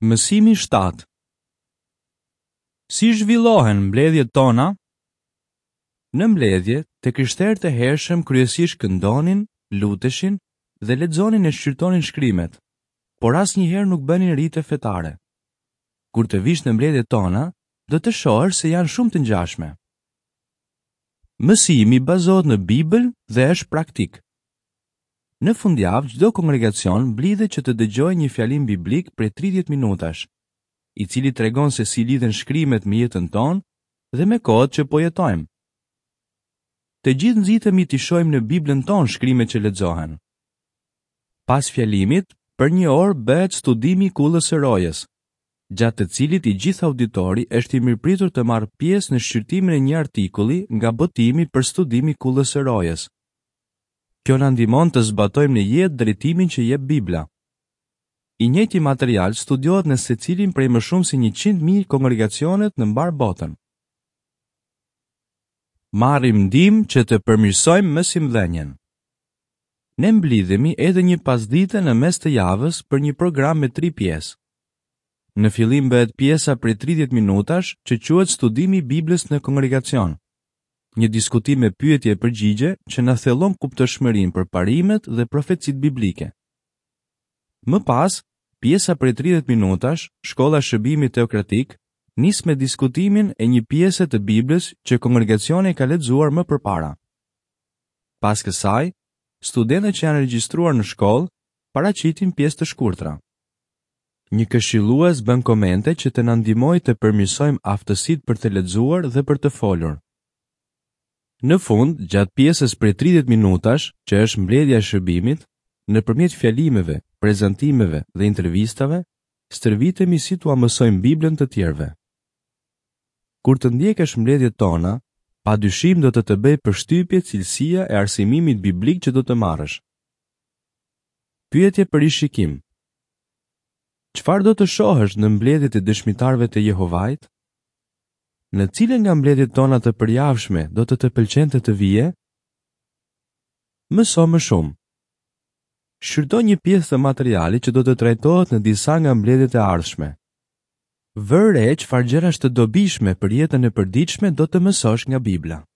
Mësimi 7 Si zhvillohen mbledhjet tona? Në mbledhje, të krishterët e hershëm kryesisht këndonin, luteshin dhe lexonin e shqyrtonin shkrimet, por asnjëherë nuk bënin rite fetare. Kur të vish në mbledhjet tona, do të shohësh se janë shumë të ngjashme. Mësimi bazohet në Bibël dhe është praktik. Në fundjavë, çdo kongregacion mblidhet që të dëgjojë një fjalim biblik prej 30 minutash, i cili tregon se si lidhen shkrimet me jetën tonë dhe me kohët që po jetojmë. Të gjithë nxitemi t'i shohim në Biblën tonë shkrimet që lexohen. Pas fjalimit, për një orë bëhet studimi i Kullës së Rojës, gjatë të cilit i gjithë auditori është i mirëpritur të marrë pjesë në shqyrtimin e një artikulli nga botimi për studim i Kullës së Rojës. Kjo na ndihmon të zbatojmë në jetë drejtimin që jep Bibla. I njëjti material studiohet në secilin prej më shumë se 100.000 kongregacionet në mbarë botën. Marrim ndihmë që të përmirësojmë mësimdhënien. Ne mblidhemi edhe një pasdite në mes të javës për një program me tri pjesë. Në fillim bëhet pjesa prej 30 minutash që quhet Studimi i Biblës në kongregacion. Një diskutim me pyetje e përgjigje që na thellon kuptueshmërinë për parimet dhe profecitë biblike. Më pas, pjesa prej 30 minutash, Shkolla e Shërbimit Teokratik, nis me diskutimin e një pjese të Biblës që kongregacioni e ka lexuar më përpara. Pas kësaj, studentët që janë regjistruar në shkollë paraqitin pjesë të shkurtra. Një këshillues bën komente që të na ndihmojë të përmirësojmë aftësitë për të lexuar dhe për të folur. Në fund, gjatë pjesës prej 30 minutash, që është mbledhja e shërbimit, nëpërmjet fjalimeve, prezantimeve dhe intervistave, stërvitemi si t'ua mësojmë Biblën të tjerëve. Kur të ndjekësh mbledhjet tona, pa dyshim do të të bëjë përshtypje cilësia e arsimimit biblik që do të marrësh. Pyetje për rishikim. Çfarë do të shohësh në mbledhjet e dëshmitarëve të Jehovait? Në cilën nga mbledhjet tona të përjavshme do të të pëlqente të vije? Mëso më shumë. Shqyrto një pjesë të materialit që do të trajtohet në disa nga mbledhjet e ardhshme. Vër re çfarë gjërash të dobishme për jetën e përditshme do të mësosh nga Bibla.